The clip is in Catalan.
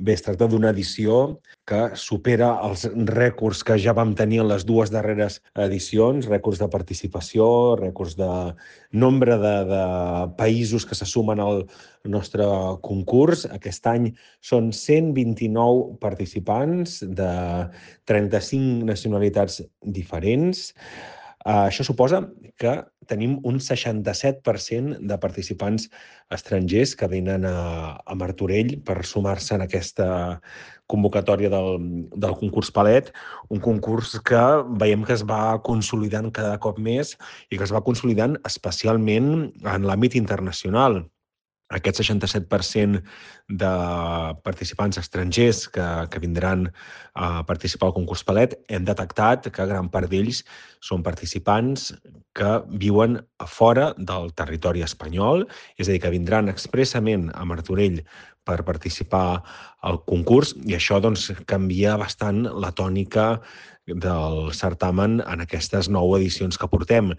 Bé, es tracta d'una edició que supera els rècords que ja vam tenir en les dues darreres edicions, rècords de participació, rècords de nombre de països que se sumen al nostre concurs. Aquest any són 129 participants de 35 nacionalitats diferents. Això suposa que tenim un 67% de participants estrangers que venen a Martorell per sumar-se en aquesta convocatòria del concurs Palet, un concurs que veiem que es va consolidant cada cop més i que es va consolidant especialment en l'àmbit internacional. Aquest 67% de participants estrangers que vindran a participar al concurs Palet, hem detectat que gran part d'ells són participants que viuen a fora del territori espanyol, és a dir, que vindran expressament a Martorell per participar al concurs, i això doncs, canvia bastant la tònica del certamen en aquestes 9 edicions que portem.